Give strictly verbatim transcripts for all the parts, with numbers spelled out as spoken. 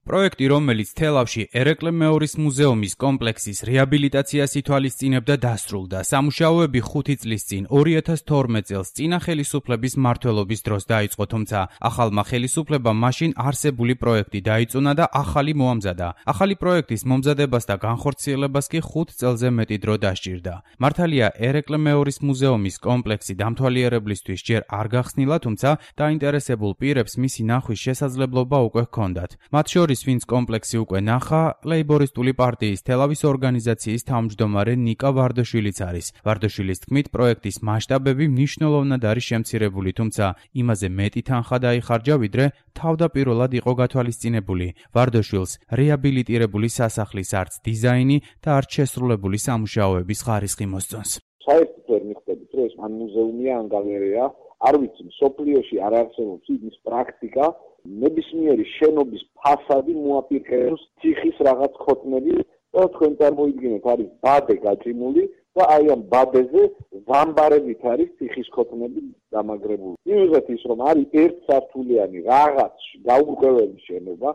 პროექტი, რომელიც თელავში ერეკლე მეორის მუზეუმის კომპლექსის რეაბილიტაციას ითვალისწინებდა, დასრულდა. სამუშაოები ხუთი წლის წინ, ორი ათას თორმეტ წელს წინა ხელისუფლების მმართველობის დროს დაიწყო, თუმცა ახალმა ხელისუფლებამ მაშინ არსებული პროექტი დაიწუნა და ახალი მოამზადა. ახალი პროექტის მომზადებას და განხორციელებას კი ხუთ წელზე მეტი დრო დასჭირდა. მართალია, ერეკლე მეორის მუზეუმის კომპლექსი დამთვალიერებლისთვის ჯერ არ გახსნილა, თუმცა დაინტერესებულ პირებს მისი ნახვის შესაძლებლობა უკვე ჰქონდათ. მათ შორის ვინც კომპლექსი უკვე ნახა, ლეიბორისტული პარტიის თელავის ორგანიზაციის თავმჯდომარე ნიკა ვარდაშვილიც არის. ვარდაშვილის თქმით, პროექტის მასშტაბები მნიშვნელოვნად არის შემცირებული, თუმცა იმაზე მეტი თანხა დაიხარჯა, ვიდრე თავდაპირველად იყო გათვალისწინებული. ვარდაშვილს რეაბილიტირებული სასახლის არც დიზაინი და არც შესრულებული სამუშაოების ხარისხი მოსწონს. საერთოდ ვერ მიხვდებით, რომ ეს ან მუზეუმია, ან გალერეა, არ ვიცი, მსოფლიოში არ არსებობს ის პრაქტიკა, ნებისმიერი შენობის ფასადი მოაპირკეთოს თიხის რაღაც ხოტნები და თქვენ წარმოიდგინეთ, არის ბადე გაჭიმული და აი ამ ბადეზე ზამბარებით არის თიხის ხოტნები დამაგრებული. მივიღეთ ის, რომ არის ერთსართულიანი რაღაც გაურკვეველი შენობა,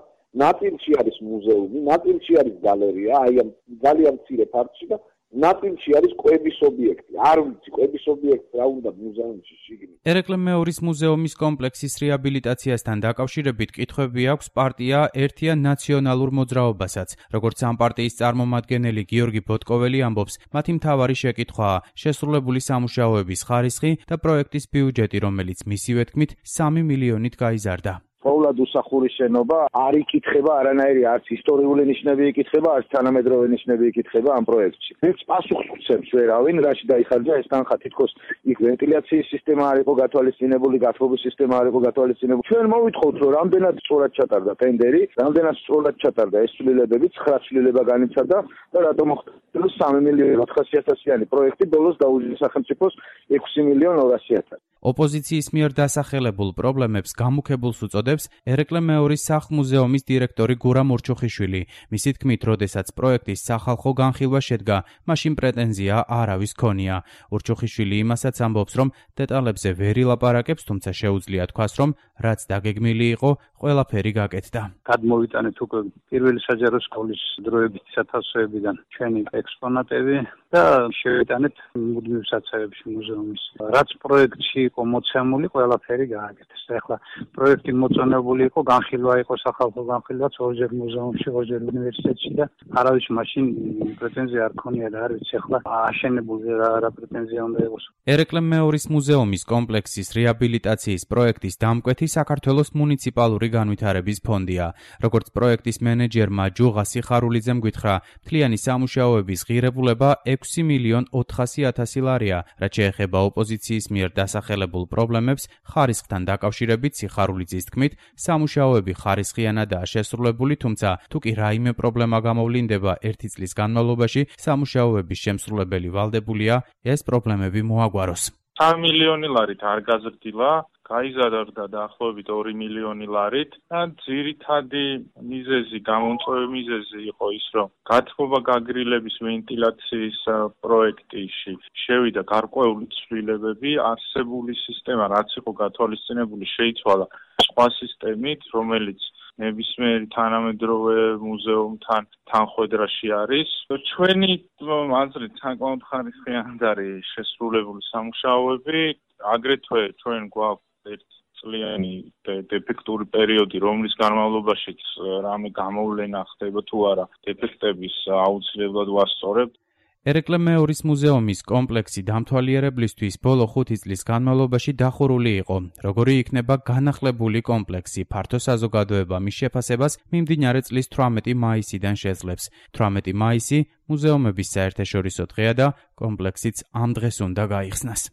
ნაწილში არის მუზეუმი, ნაწილში არის გალერეა, აი ამ ძალიან მცირე ფართში და ნაწილში არის კვების ობიექტი. არ ვიცი, კვების ობიექტი რა უნდა მუზეუმში შიგნით. ერეკლე მეორის მუზეუმის კომპლექსის რეაბილიტაციასთან დაკავშირებით კითხვები აქვს პარტია ერთია ნაციონალურ მოძრაობასაც. როგორც ამ პარტიის წარმომადგენელი გიორგი ბოტკოველი ამბობს, მათი მთავარი შეკითხვაა შესრულებული სამუშაოების ხარისხი და პროექტის ბიუჯეტი, რომელიც მისივე თქმით სამი მილიონით გაიზარდა. ყოვლად უსახური შენობა არ იკითხება არანაირი არც ისტორიული ნიშნები იკითხება, არც თანამედროვე ნიშნები იკითხება ამ პროექტში. ეს პასუხს უცემს ვერავინ, რაში დაიხარჯა ეს თანხა, თითქოს იქ ვენტილაციის სისტემა არ იყო გათვალისწინებული, გათბობის სისტემა არ იყო გათვალისწინებული. ჩვენ მოვითხოვთ, რომ რამდენად სწორად ჩატარდა ტენდერი, რამდენად სწორად ჩატარდა ეს ცვლილებები, ცხრა ცვლილება განიცადა და რატომ მოხდა სამი მილიონი ოთხასი ათასიანი პროექტი ბოლოს დაუჯდა სახელმწიფოს ექვსი მილიონი ორასი ათასი. ოპოზიციის მიერ დასახელებულ პრობლემებს გამუქებულს უწოდებს ერეკლე მეორის სახლ-მუზეუმის დირექტორი გურამ ორჩოხიშვილი. მისი თქმით, როდესაც პროექტის სახალხო განხილვა შედგა, მაშინ პრეტენზია არავის ქონია. ორჩოხიშვილი იმასაც ამბობს, რომ დეტალებზე ვერ ილაპარაკებს, თუმცა შეუძლია თქვას, რომ რაც დაგეგმილი იყო, ყველაფერი გაკეთდა. გადმოვიტანეთ უკვე პირველი საჯარო სკოლის დროებით სათავსოებიდან ჩვენი ექსპონატები და შევიტანეთ მუდმივ საცავებში მუზეუმის. რაც პროექტში იყო მოცემული, ყველაფერი გააკეთეს. ახლა პროექტი მოწონებული იყო, განხილვა იყო სახალხო განხილვაც ორჯერ მუზეუმში, ორჯერ უნივერსიტეტში და არავის მაშინ პრეტენზია არ ქონია და არ ვიცი ახლა აშენებული რა პრეტენზია უნდა იყოს. ერეკლე მეორის მუზეუმის კომპლექსის რეაბილიტაციის პროექტის დამკვეთი საქართველოს მუნიციპალური განვითარების ფონდია. როგორც პროექტის მენეჯერმა ჯუღა სიხარულიძემ გითხრა, მთლიანი სამუშაოების ღირებულება ექვსი მილიონ ოთხასი ათასი ლარია, რაც შეეხება ოპოზიციის მიერ დასახელებულ პრობლემებს ხარისხთან დაკავშირებით სიხარულიძის თქმით, სამუშაოები ხარისხიანადაა შესრულებული, თუმცა თუ კი რაიმე პრობლემა გამოვლინდება ერთი წლის განმავლობაში, სამუშაოების შემსრულებელი ვალდებულია ეს პრობლემები მოაგვაროს. სამი მილიონი ლარით არ გაზრდილა, გაიზარდა დაახლოებით ორი მილიონი ლარით და ძირითადი მიზეზი, გამომწვევი მიზეზი იყო ის, რომ გათბობა გაგრილების ვენტილაციის პროექტში შევიდა გარკვეული ცვლილებები, არსებული სისტემა, რაც იყო გათვალისწინებული, შეიცვალა სხვა სისტემით, რომელიც ნებისმიერ თანამედროვე მუზეუმთან თანხვედრაში არის. ჩვენი აზრით საკმაოდ ხარისხიანი არის შესრულებული სამუშაოები, აგრეთვე ჩვენ გვაქვს ერთწლიანი დეფექტური პერიოდი, რომლის განმავლობაშიც რამე გამოვლენა ხდება თუ არა, დეფექტების აუცილებლად ვასწორებთ. ერეკლე მეორის მუზეუმის კომპლექსი დამთვალიერებლისთვის ბოლო ხუთი წლის განმავლობაში დახურული იყო. როგორი იქნება განახლებული კომპლექსი, ფართო საზოგადოება მის შეფასებას მიმდინარე წლის თვრამეტი მაისიდან შეძლებს. თვრამეტი მაისი მუზეუმების საერთაშორისო დღეა და კომპლექსიც ამ დღეს უნდა გაიხსნას.